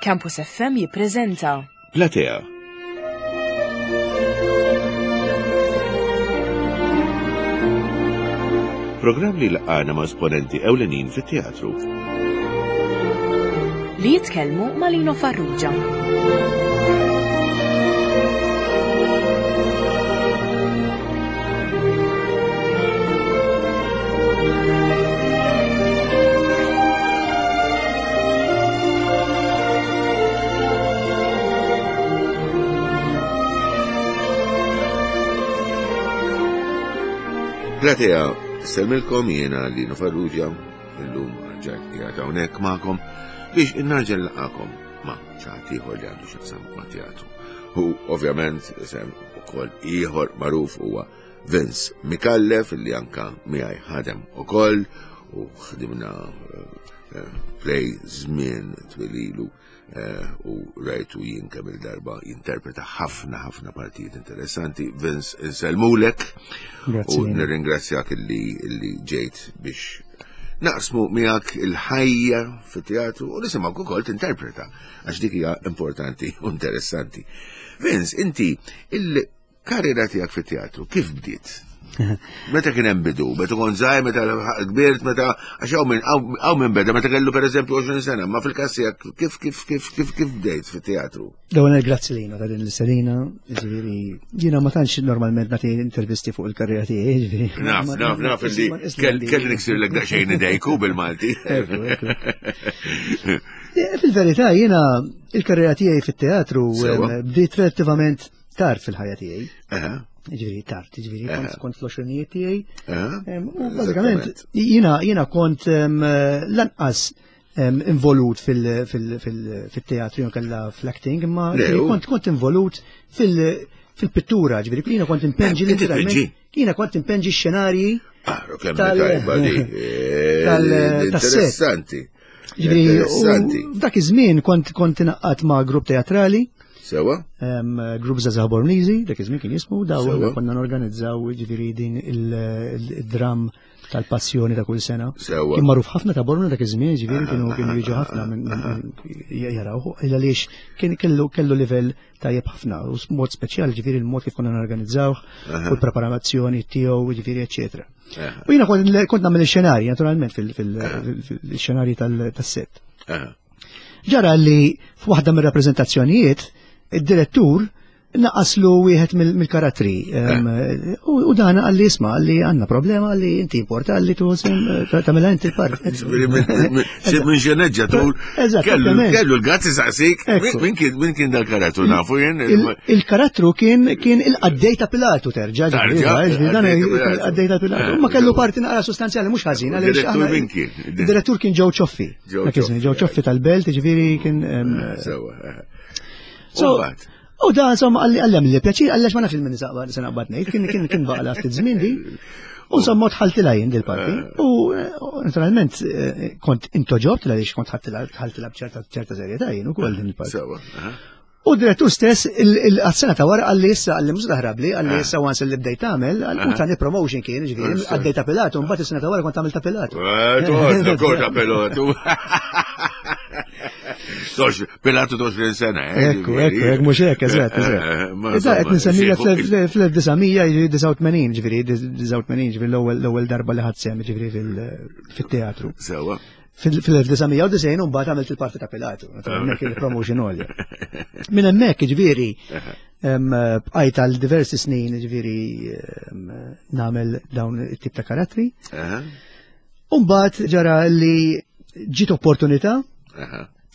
Campus FM jippreżenta Platea. Programm li laqana ma' esponenti ewlenin fit-teatru. Li jitkellmu ma' Lino Farrugia. Platea, selmilkom jiena Lino Farrugia, illum rġajt qiegħed hawnhekk magħkom biex inarġel laqakom ma' ċaħat ieħor li għandu x'jaqsam ma' teatru. U ovvjament isem ukoll ieħor magħruf huwa Vince Micallef li anka miegħi ħadem ukoll u ħdimna eh, play żmien twililu eh, u rajtu jien kemm il-darba jinterpreta ħafna ħafna partijiet interessanti. Vince, insellmulek u nirringrazzjak illi ġejt biex naqsmu miegħek il-ħajja fit-teatru u nisimgħu ukoll tinterpreta għax dik hija importanti u interessanti. Vince, inti il Karriera tiegħek fit-teatru kif bdiet? Meta kien hemm bidu, meta kont żgħir, meta kbirt, meta għax hawn minn hawn minn beda meta kellu pereżempju 20 sena, ma fil-każ tiegħek kif kif kif kif kif bdejt fit-teatru? L-ewwel grazzi lina ta' din l-iselina, ġifieri jiena ma tantx normalment nagħti intervisti fuq il-karriera tiegħi, ġifieri. Naf, naf, naf illi kelli niksirlek daqsxejn idejku bil-Malti. Fil-verità jiena il-karriera tiegħi fit-teatru bdiet relattivament tard fil-ħajja tiegħi. Ġifieri tard, ġifieri kont fl-għoxrinijiet tiegħi. U bażikament jiena jiena kont lanqas involut fil-teatru jew kellha fl-acting, imma kont kont involut fil-pittura, ġifieri jiena kont impenġi literalment. Jiena kont impenġi xenarji. Ah, kemm tajba di. Eh, interessanti. Ġifieri, f'dak iż-żmien kont kont inaqqat ma' grupp teatrali. Sewa? Grupp Zazah Bormliżi, dak iż-żmien kien jismu, daw konna norganizzaw ġifieri din il-dram tal-passjoni ta' kull sena. Sewa. Kien magħruf ħafna ta' Bormla dak iż-żmien, ġifieri kienu kienu jiġu ħafna minn jaraw, għaliex kien kellu kellu livell tajjeb ħafna u mod speċjali ġifieri l-mod kif konna norganizzawh u l-preparazzjoni tiegħu ġifieri eċetera. U jiena kont nagħmel ix-xenarji naturalment fil-xenarji tas-set. Ġara li f'waħda mir-rappreżentazzjonijiet id-direttur naqaslu wieħed mill-karattri. Eh. U dan għalli isma' għalli għandna problema għalli inti importa għalli tużim eh, tagħmilha inti l-part. Minn xeneġġatur. Kellu l-gazzi saqsik, min kien dal-karattru nafu jien? Il-karattru kien kien il-qaddej ta' Pilatu terġa' dan il-qaddej ta' Pilatu. Ma kellu parti naqra sostanzjali mhux ħażin għaliex. Min kien? Direttur kien Ġew Ċoffi. Ġew Ċoffi tal-Belt, ġifieri kien. Sewa. So, u da insomma għalli għalli għamilli pjaċir għalli ma nafx il-min se naqbad ngħid, kien kien kien baqla ftit żmien di. U insomma tħaltilha jien dil-parti. Eh. U eh, naturalment eh, kont intoġobt għaliex kont ħaltilha b'ċerta ċerta serjetà jien ukoll din il-parti. U direttur stess il-sena ta' wara għalli issa għalli mhux taħrabli għalli eh. issa once li bdejt tagħmel, u tani promotion kien, ġifieri għaddej ta' Pilatu, mbagħad is-sena ta' wara kont għamil ta' Pilatu. Eh, ta' Pilatu. Tox, Pilatu 20 sena, eh? Ekku, ekku, ekku, mhux hekk, eżatt, eżatt. Eżatt, qed nisemmija fl-1989, ġifieri, 89, ġifieri l-ewwel darba li ħadd sem, ġifieri fit-teatru. Sewa. Fil-1990 mbagħad għamilt il-parti ta' Pilatu, naturalment il-promotion għolja. Minn hemmhekk ġifieri bqajt għal diversi snin ġifieri nagħmel dawn it-tip ta' karattri. Umbagħad ġara li ġiet opportunità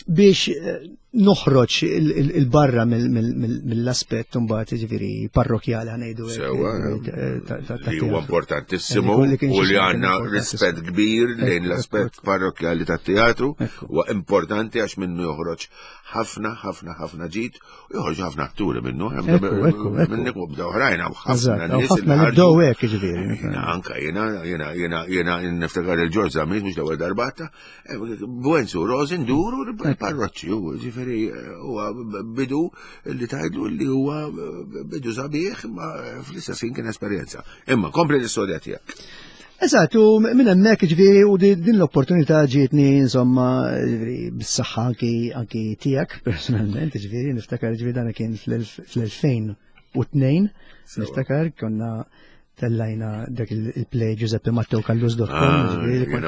biex eh, noħroġ il-barra mill-aspett mbagħad jiġifieri parrokjali ħanejdu. Sewa, eh, li huwa importantissimu u li għandna rispett kbir lejn l-aspett parrokjali tat-teatru huwa importanti għax minnu joħroġ ħafna ħafna ħafna ġid u joħroġ ħafna atturi minnu minnu u bda oħrajn hawn ħafna nies. Ħafna li bdew hekk jiġifieri. Anka jiena jiena jiena jiena niftakar il-Ġorġ Zammit mhux l-ewwel darbata Bwenzu, Rosi nduru l-parroċċi, u ġifiri huwa bidu li tajdlu li huwa bidu sabiħ, ma fl-istess kien esperjenza. Imma kompli l-istorja tiegħek. Eżatt, u minn hemmhekk ġifieri u din l-opportunità ġietni insomma ġifieri bis-saħħa anki anki tiegħek personalment, ġifieri niftakar ġifieri dan kien fl-2002, niftakar konna tellajna dak il-play Giuseppe Matteo Callus.com, ah, ġifieri kont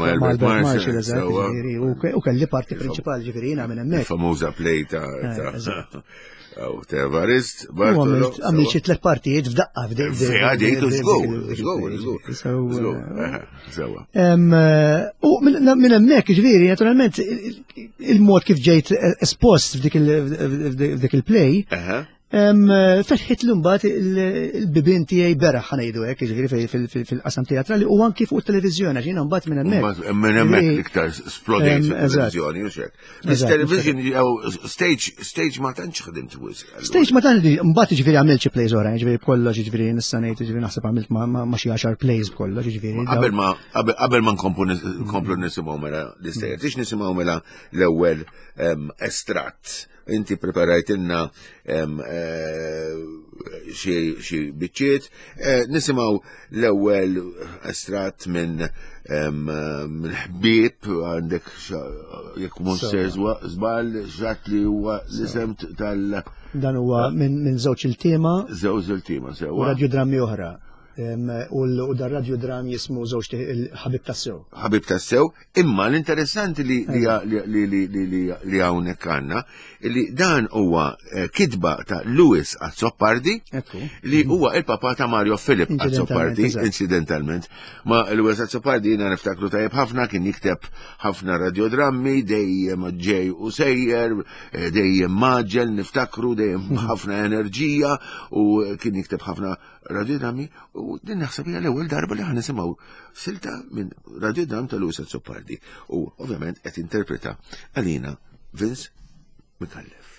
Albert Marshall, eżatt, ġifieri, u kelli parti prinċipali ġifieri jiena minn hemmhekk. Famuża play ta' eh, Aw, ta' Evarist, Bartolo. Għamil xi tliet partijiet f'daqqa f'daqqa. Għadejtu żgur, żgur, żgur. Sewa. U minn hemmhekk ġifieri, naturalment, il-mod kif ġejt espost f'dik il-play, Fetħit l-umbat il-bibin tiegħi beraħ ħanejdu hekk, jiġifieri fil-qasam teatrali u anki fuq it-televiżjoni għax jiena mbagħad minn hemmhekk. Minn hemmhekk iktar splodejt fil-televiżjoni u xek. Television jew stage, stage ma tantx ħdimt wisq. Stage ma tantx mbagħad jiġifieri għamilt xi plays oħra, jiġifieri b'kollox jiġifieri nista' ngħid jiġifieri naħseb għamilt ma xi għaxar plays b'kollox jiġifieri. Qabel ma qabel ma nkomplu nisimgħu mela l-istejjer, tix nisimgħu mela l-ewwel estratt Inti preparajtilna eh, xi biċċiet. Eh, nisimgħu l-ewwel estratt minn ħbieb għandek jekk mhux ser żball x'għad li huwa l-isem tal- Dan huwa minn żewġ il-tema. Żewġ il-tema, sewa. U radjodrammi oħra. U dar radjodram jismu żewġ il-ħabib tassew. Ħabib tassew, Imma l-interessanti li li hawnhekk għandna li dan huwa eh, kitba ta' Louis Azzopardi li huwa il-papa ta' Mario Philip Azzopardi incidentalment. Ma Louis Azzopardi jiena niftakru tajjeb ħafna kien jikteb ħafna radiodrammi dejjem ġej u sejjer, eh, dejjem maġel niftakru dejjem mhm. ħafna enerġija u kien jikteb ħafna radiodrammi u din naħseb hija l-ewwel darba li ħa nisimgħu silta minn radiodram ta' Luisa Zoppardi u ovvjament qed interpreta għalina Vince Micallef.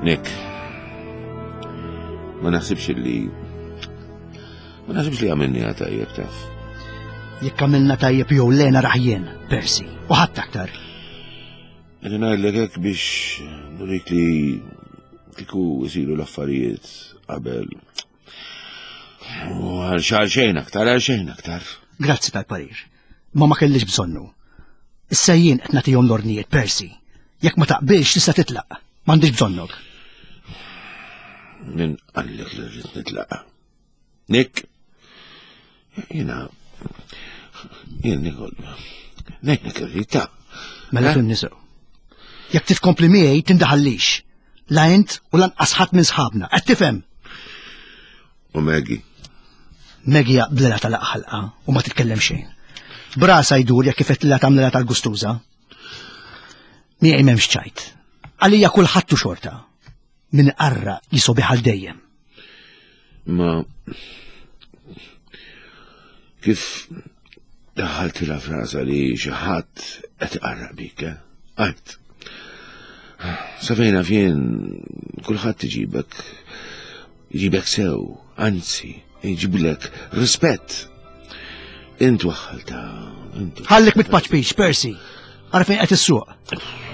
Nick, ma naħsibx li ma naħsibx li għamilni tajjeb taf. Jekk għamilna tajjeb jew lena raħjien, Percy, u ħadd aktar. Qed ngħidlek hekk biex nurik li kieku jsiru l-affarijiet qabel. U għal xejn aktar, għal xejn aktar. Grazzi tal-parir. Ma ma kellix bżonnu. Issa jien qed nagħtihom l-ordnijiet, Percy. Jekk ma taqbilx tista' titlaq. M'għandix bżonnok. Min qallek li rrid nitlaq? Nick, jina, jien nikol, ngħidlek il-verità. Mela eh? fimni sew. Jekk titkompli miegħi tindaħallix. La int u lanqas ħadd minn sħabna. Qed tifhem? U Maggie? Maggie jaqblilha tal-ħalqa u ma titkellem xejn. Brasa jdur jekk kif qed tagħmlilha tal-gustuża. Miegħi m'hemmx ċajt. Għalija kulħadd u xorta. Min qarra jisobi għal dejjem. Ma kif daħaltilha fraża li xi ħadd qed iqarraq bik, eh? Għajt. Sa fejn jien kulħadd iġibek iġibek sew, anzi, iġiblek rispett. Int waħħalta. Ħallik mit-paċpix, Percy. Ara fejn qed issuq.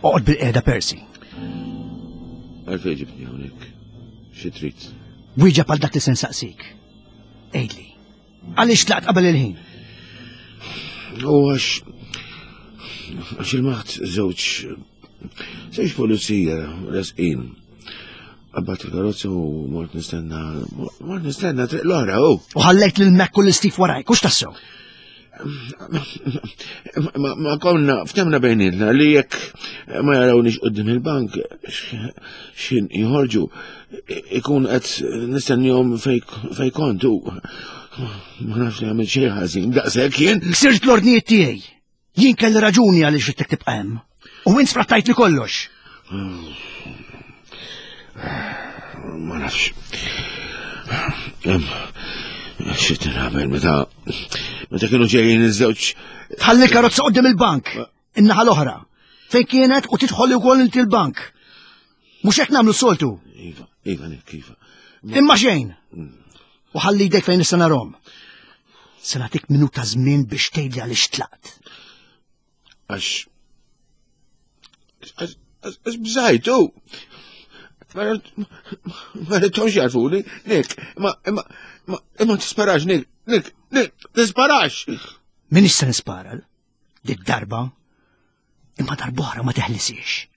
Oqgħod bil-qiegħda Percy. Għalfejn ġibtni hawnhekk. Xi trid? Wieġeb għal dak li se nsaqsik. Għidli. Għaliex tlaqt qabel il-ħin? U għax għax il-maħt żewġ żewġ pulizija resqin. Qabbat il-karozza u mort nistenna mort nistenna triq l-oħra u. U ħallejt lil Mac u l-Steve warajk, u x'tassew? Ma konna ftemna bejnietna li jekk ma jarawniex qudiem il-bank xin jħorġu ikun qed nistennihom fej kont u ma nafx li għamil xejn ħażin daqshekk jien. Ksirt l-ordnijiet tiegħi. Jien kelli raġuni għaliex ridtek tibqa' hemm. U int sfrattajt li kollox. Ma nafx. Xi nagħmel meta meta kienu ġejjin iż-żewġ. Tħalli karozza qudiem il-bank, in-naħa l-oħra. Fejn kienet u tidħol ukoll inti l-bank. Mhux hekk nagħmlu s-soltu. Iva, iva, Nick, iva. Imma xejn. U ħalli jdejk fejn nista' narhom. Se nagħtik minuta żmien biex tgħidli għaliex tlaqt. Għax għax bżajtu. Ma rridhomx jarfuni, Nick, ma imma ma imma tisparax, Nick, Nick, Nick, tisparax. Min se nispara dik darba, imma darbohra ma teħlisiex.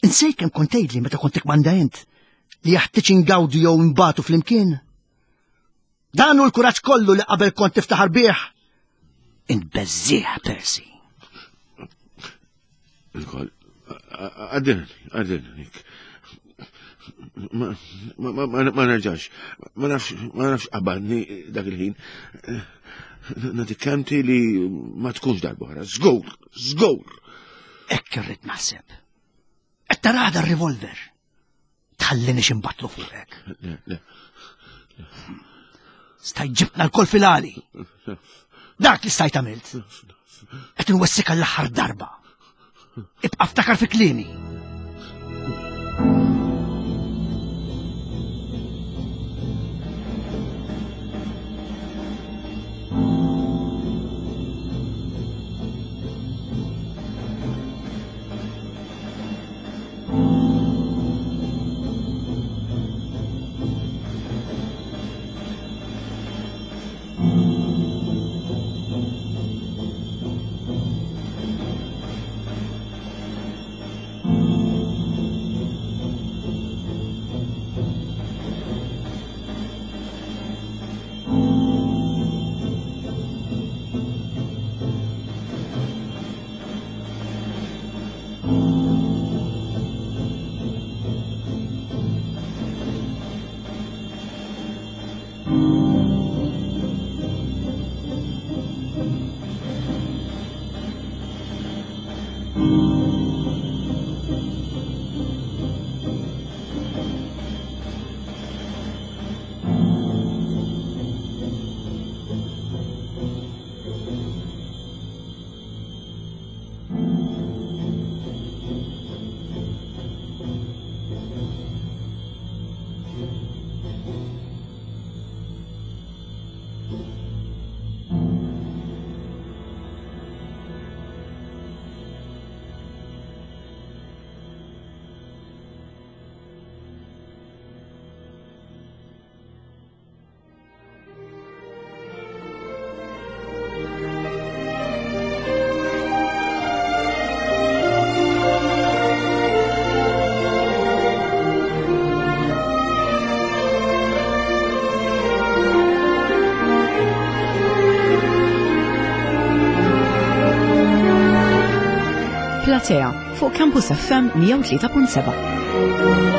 Insejt kemm kont tgħidli meta kont tikmanda int li jaħtieġ ingawdu jew nbatu flimkien. Dan hu l-kuraġġ kollu li qabel kont tiftaħar bih. Int beżżieħ, Percy. Ilkoll, għaddin, għaddin, Nick. Ma nerġax, ma nafx, ma nafx qabadni dak il-ħin. Nati kemti li ma tkunx darbohra, żgur, żgur. Hekk irrid naħseb. Qed tarada r-revolver. Tħallinix imbattlu fuqek. Stajt ġibna l-kol fil-għali. Dak li stajt għamilt. Qed inwessik għall-aħħar darba. Ibqa' ftakar fi kliemi. Platea fuq Campus FM 103.7.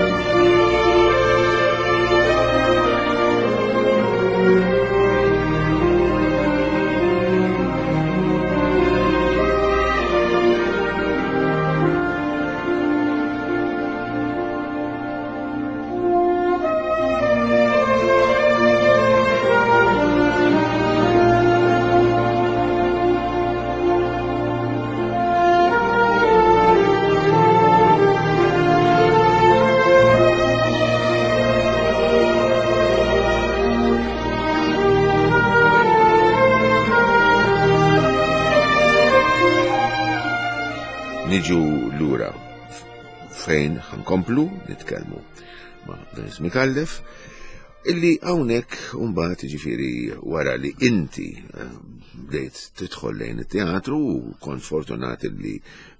Niġu lura fejn ħankomplu nitkellmu ma' Vince Mikallef illi hawnhekk mbagħad jiġifieri wara li inti eh, bdejt tidħol lejn it-teatru u kont fortunat illi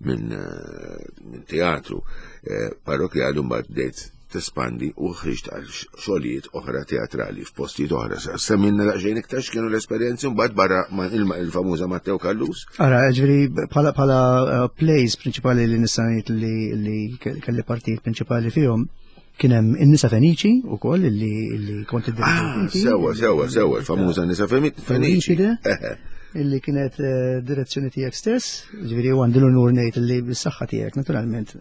minn eh, min teatru eh, parrokjali mbagħad bdejt tespandi u ħriġt għal xogħlijiet oħra teatrali f'postijiet oħra. Semmilna daqsxejn iktar x'kienu l-esperjenzi mbagħad barra il-famuża Matteo Callus. Ara, ġifieri bħala eh, plays prinċipali li nista' ngħid li kelli partijiet prinċipali fihom kien hemm in-nisa Feniċi wkoll li li kont ah, Sewwa, sewwa, sewwa, il-famuża nisa Feniċi. Illi kienet eh, direzzjoni tiegħek stess, ġifieri u għandi l-unur ngħid li bis-saħħa tiegħek naturalment.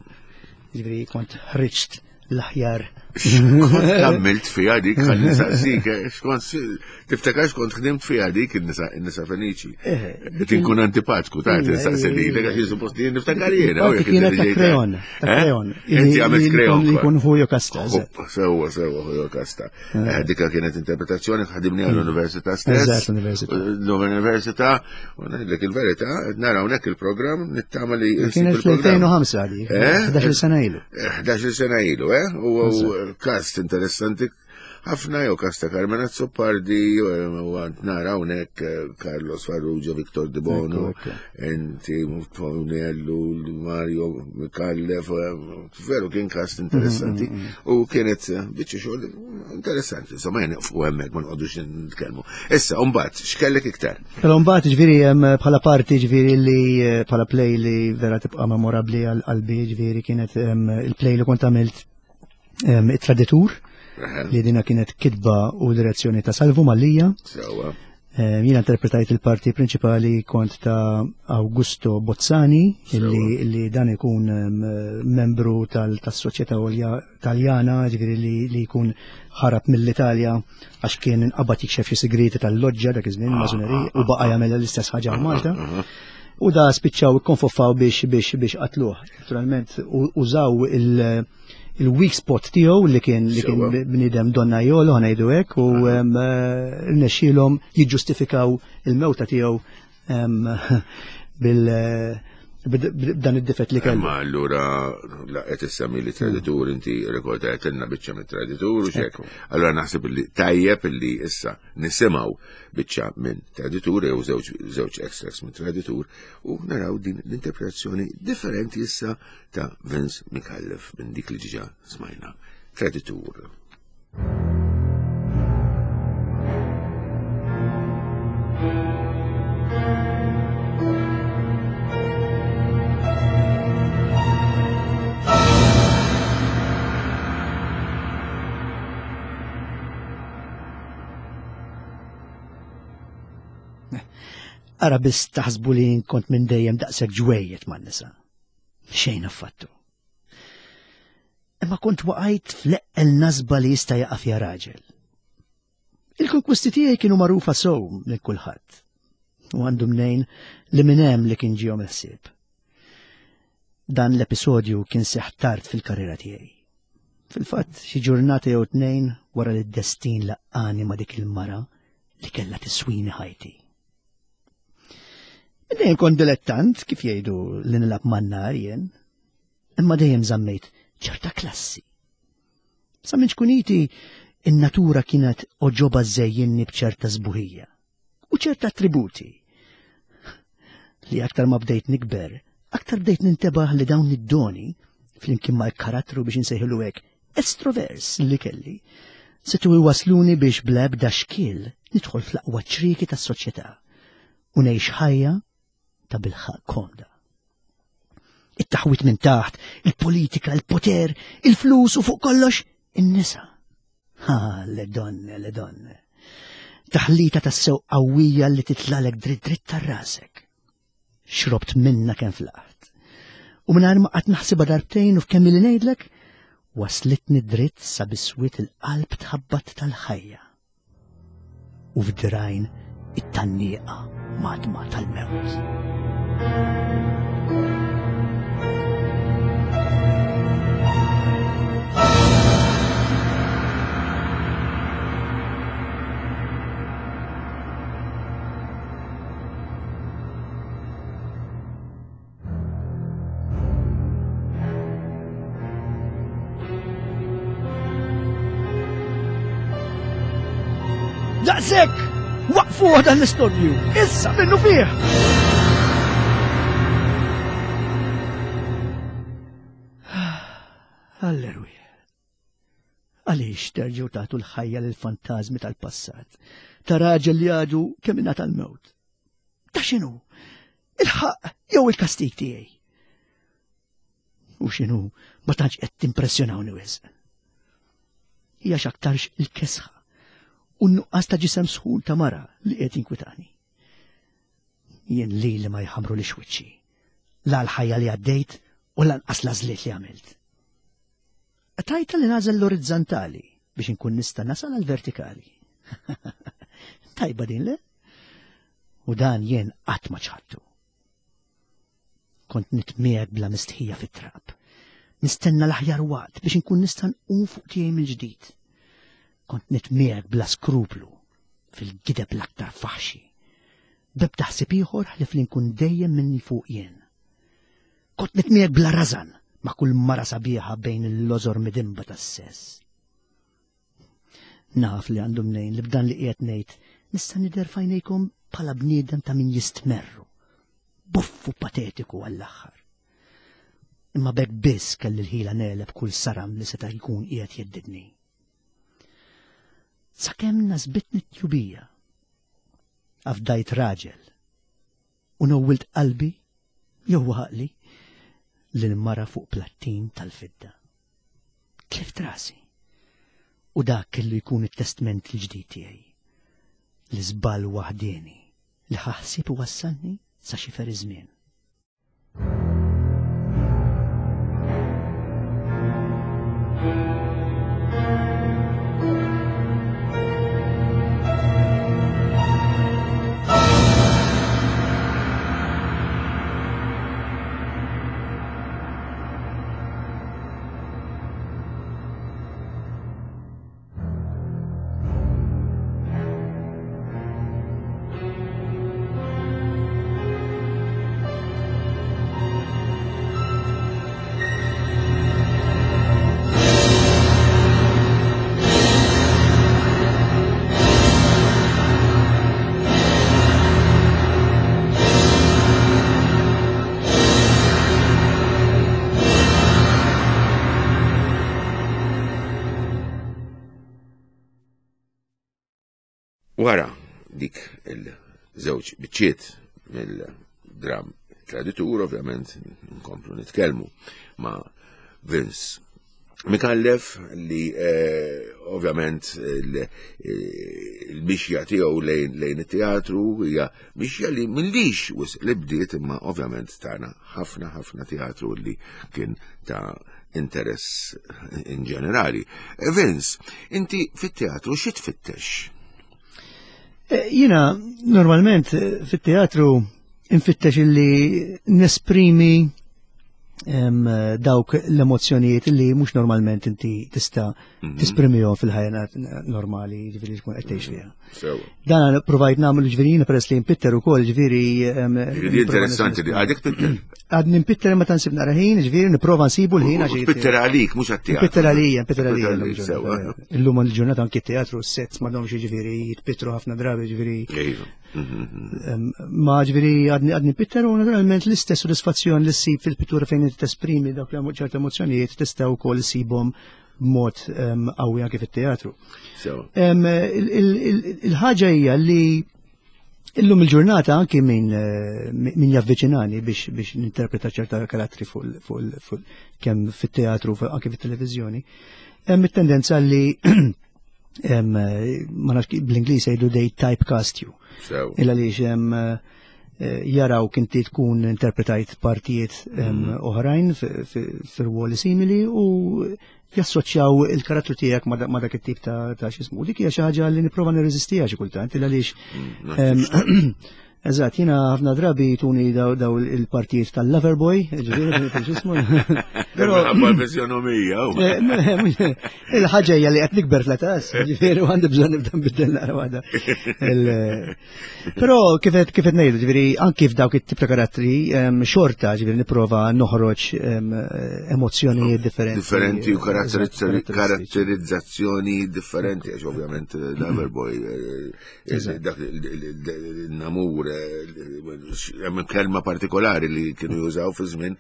Ġifieri kont ħriġt l-aħjar. Għamilt fija dik, għalli saqsik, eh, xkont, tiftakar xkont ħdimt fija dik il-nisa Feniċi. Eh, Tinkun antipatku, ta' saqsi li, għax suppost li niftakar jena. Kienet ta' kreon, ta' eh? kreon. Inti għamilt kreon. Li kun Julio Casta. Sewa, sewa, Julio Casta. Dika kienet interpretazzjoni ħadimni għall-università stess. Eżatt, l-università. L-università, u ngħidlek il-verità, nara hawnhekk il-programm, nittama li. Kienet fl-2005 dik, 11 sena ilu. 11 sena ilu, eh? U kast interessanti ħafna jew kas ta' Carmen Azzopardi, u għand nara hawnhekk eh, Carlos Farrugia, Victor Di Bono, Enti, Tonellu, Mario Mikallef, eh, veru kien kast interessanti mm, mm, mm. u kienet eh, biċċa xogħol interessanti, insomma jien fuq hemmhekk ma nqogħdux nitkellmu. Issa, mbagħad x'kellek iktar? Però mbagħad ġifieri bħala parti ġifieri li eh, bħala play li vera tibqa' memorabbli għal qalbi ġifieri kienet il-play li kont għamilt it-traditur li dina kienet kitba u direzzjoni ta' Salvu Malija. Sewa. Jiena interpretajt il-parti prinċipali kont ta' Augusto Bozzani, illi, li dan ikun membru tal-Soċjetà Olja Taljana, ġifieri li, li jkun ħarab mill-Italja għax kien inqabad jikxef xi sigriti tal-loġġa dak iż-żmien ah, mażuneri u baqa' ah, jagħmel l-istess ħaġa ah, Malta. U da spiċċaw ikkonfoffaw biex biex biex qatluh. Naturalment użaw il- il-weak spot tiegħu li kien li kien bniedem Donna Jolo ħanejdu hekk u eh, rnexxielhom jiġġustifikaw il-mewta tiegħu bil dan id-difett li kellu. Ma allura la qed issemmi li traditur inti rekordajtilna biċċa mit-traditur u xek. Allura naħseb li tajjeb li issa nisimgħu biċċa minn traditur jew żewġ extracts minn traditur u naraw din l-interpretazzjoni differenti issa ta' Vince Micallef minn dik li ġiġa smajna. Traditur. Ara biss taħsbu li kont minn dejjem daqshekk ġwejjed man-nisa. Xejn affattu. Imma kont waqajt fl-eqqel nasba li jista' jaqa' fiha raġel. Il-konkwisti tiegħi kienu magħrufa sew minn kulħadd. U għandu mnejn li minn hemm li kien ġihom il-ħsieb. Dan l-episodju kien seħ tard fil-karriera tiegħi. Fil-fatt, xi ġurnata jew tnejn wara li d-destin laqqani ma' dik il-mara li kellha tiswini ħajti. Dejjem kont dilettant, kif jgħidu li nilgħab man-nar jien, imma dejjem żammejt ċerta klassi. Sa minn ċkuniti, in-natura kienet oġoba żejjinni b'ċerta sbuħija u ċerta attributi. Li aktar ma bdejt nikber, aktar bdejt nintebaħ li dawn id-doni, flimkien mal-karattru biex insejħilu hekk, estrovers li kelli, setgħu jwassluni biex bla ebda xkiel nidħol fl-aqwa ċrieki tas-soċjetà u ngħix ħajja ta' bilħaq komda. It-taħwit minn taħt, il-politika, il-poter, il-flus u fuq kollox in-nisa. Ha, le donne, le donne. Taħlita tas-sew qawwija li titlalek dritt dritt tar-rasek. Xrobt minna kemm flaħt. U mingħajr ma qatt naħsibha darbtejn u f'kemm li ngħidlek, waslitni dritt sa biswit il-qalb tħabbat tal-ħajja. U f'dirajn it-tannieqa madma tal-mewt. Daqshekk! Waqfuh dan l-istorbju! Issa minnu fih! Alleluja. Għaliex terġgħu tagħtu l-ħajja lill-fantażmi tal-passat, ta' raġel li għadu kemm ingħata l-mewt? Ta' x'inhu? Il-ħaqq jew il-kastig tiegħi? U x'inhu ma tantx qed timpressjonawni wisq. Hija x'aktarx il-kesħa u n-nuqqas ta' ġisem sħun ta' mara li qed jinkwitani. Jien lili ma jħamru li xwiċċi. La l-ħajja li għaddejt u lanqas l-għażliet li għamilt. Tajta li nagħżel l-orizzantali biex inkun nista' nasal għall-vertikali. Tajba din le? U dan jien qatt ma ċħattu. Kont nitmiegħek bla mistħija fit-trab. Nistenna l-aħjar waqt biex inkun nista' nqum fuq tiegħi mill-ġdid. Kont nitmiegħek bla skruplu fil-gideb l-aktar faħxi. Bebda ħsieb ieħor ħlief li nkun dejjem minni fuq jien. Kont nitmiegħek bla rażan ma' kull mara sabiħa bejn il-lożor midimba tas-sess. Naf li għandu mnejn li b'dan li qiegħed ngħid nista' nidher f'għajnejkom bħala bniedem ta' min jistmerru. Buffu patetiku għall-aħħar. Imma b'hekk biss kelli l-ħila negħleb kull saram li seta' jkun qiegħed jeddidni. Sakemm nasbitni t-tjubija, afdajt raġel u nowwilt qalbi jew għaqli lil mara fuq plattin tal-fidda. Tlift rasi. U dak kellu jkun it-testment il-ġdid tiegħi. L-iżball waħdieni li ħaħsib wassalni sa xifer iż-żmien. Wara dik il-żewġ biċċiet mill-dram traditur, ovvjament, nkomplu nitkellmu ma' Vince Mikallef li eh, ovvjament eh, il-mixja tiegħu lejn it-teatru hija mixja li millix wisq li bdiet imma ovvjament tagħna ħafna ħafna teatru li kien ta' interess in ġenerali. Eh, Vince, inti fit-teatru xi tfittex? Jiena normalment fit-teatru infittex illi nesprimi dawk l-emozzjonijiet li mhux normalment inti tista' mhm. tisprimihom fil-ħajja normali, ġifieri tkun qed tgħix fiha. Dan provajt nagħmlu ġifieri jiena peress li npitter ukoll ġifieri. Ġifieri interessanti li għadek pitter. Għad npitter meta nsib naqra ħin, ġifieri nipprova nsibu l-ħin għax. Pitter għalik mhux għat-teatru. Pitter għalija, pitter għalija. Illum il-ġurnata anki teatru s-sets m'għadhomx ġifieri jitpittru ħafna drabi ġifieri. Iva. Ma ġviri għadni għadni pitter u naturalment l-istess soddisfazzjon li ssib fil-pittura fejn inti tesprimi dawk li ċerta emozzjonijiet tista' wkoll issibhom b'mod qawwi anke fit-teatru. Il-ħaġa hija li illum il-ġurnata anki min eh, min javviċinani biex biex ninterpreta ċerta karattri fuq kemm fit-teatru anke fit-televiżjoni, hemm it-tendenza li ma nafx bl-Ingliż jgħidu they typecast you. Illa li hemm eh, jaraw kinti tkun interpretajt partijiet mm. oħrajn fir-ruoli simili u jassoċjaw il-karattru tiegħek ma dak it-tip ta' xismu. Dik hija xi ħaġa li nipprova nirreżistiha xi kultant, illa għaliex mm, Eżatt, jiena ħafna drabi tuni daw il-partijiet tal-Loverboy, ġifieri ġismu. Però ħabba l-fizjonomija. Eh, il-ħaġa hija li qed nikber fl-etas, ġifieri u għandi bżonn nibda nbiddel naqra waħda. Però kif qed kif qed ngħidu, ġifieri anki f'dawk it-tip ta' karattri xorta ġifieri nipprova noħroġ emozzjonijiet differenti. Differenti u karatterizzazzjoni differenti, għax ovvjament Loverboy eh, Dak il-namur, hemm kelma partikolari li kienu jużaw fi żmien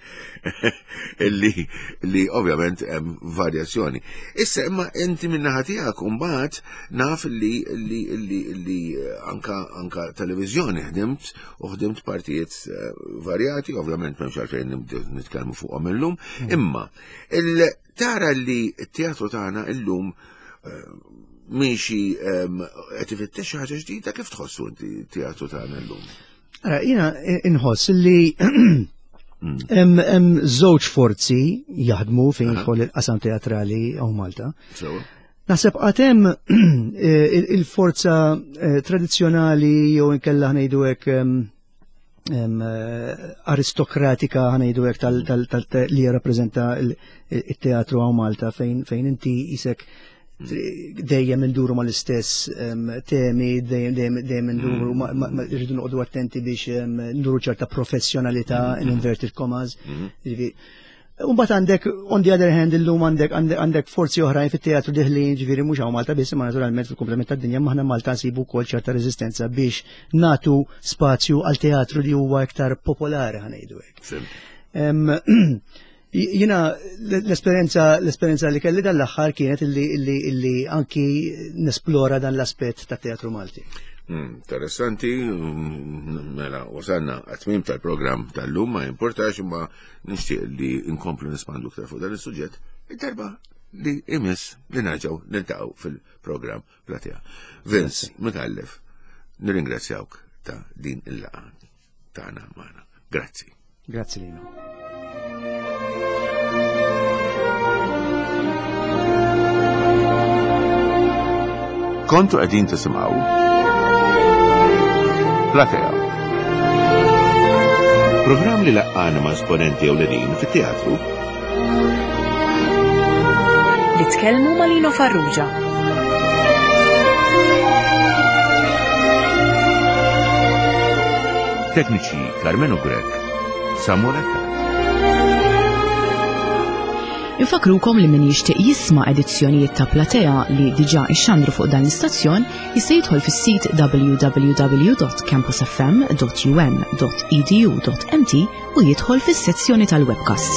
illi li ovvjament hemm varjazzjoni. Issa imma inti min-naħa tiegħek imbagħad naf li li li li anka anka televiżjoni ħdimt u ħdimt partijiet eh, varjati, ovvjament m'hemmx għalfejn nitkellmu fuqhom illum, mm. imma tara li t-teatru tagħna illum eh, miexi ehm, qed ifittex xi ħaġa ġdida kif tħossu inti teatru tagħna llum? Ara, jiena inħoss li mm. hemm żewġ forzi jaħdmu fejn jidħol il-qasam teatrali hawn Malta. Naħseb għad hemm eh, il-forza eh, tradizzjonali jew inkella ħnejdu hekk eh, aristokratika ħanejdu hekk tal li jirrappreżenta il-teatru hawn Malta fejn fejn inti isek dejjem induru mal-istess temi, dejjem dejjem induru mm. rridu noqogħdu attenti biex nduru ċerta professjonalità mm. in inverted commas. Mm. Umbat għandek, on the other hand, illum għandek għandek forzi oħrajn fit-teatru diħlin, ġifieri mhux hawn Malta biss, imma naturalment fil-komplement tad-dinja maħna Malta nsibu wkoll ċerta reżistenza biex natu spazju għal teatru li huwa iktar popolari ħanejdu hekk. Jina l-esperienza l-esperienza li kelli dan l-aħħar kienet illi illi illi anki nesplora dan l-aspett ta' teatru Malti. Hmm, interessanti, hmm, mela wasalna għatmim tal-programm tal-lum ma importax imma nixtieq li nkomplu nispandu iktar fuq dan is-suġġett id-darba li imiss li nerġgħu niltaqgħu fil-programm Platea. Vince Mikallef, nirringrazzjawk ta' din il-laqa tagħna magħna. Grazzi. Grazzi Lino. Kontu qegħdin tisimgħu Platea. Programm li laqqana ma' esponenti ewlenin fit-teatru. Li tkellmu ma' Lino Farrugia. Tekniċi Carmenu Grech, Samuel Attard. Infakrukom li min jixtieq jisma' edizzjonijiet ta' Platea li diġà ixxandru fuq dan l-istazzjon jista' jidħol fis-sit www.campusfm.um.edu.mt u jidħol fis-sezzjoni tal-webcasts.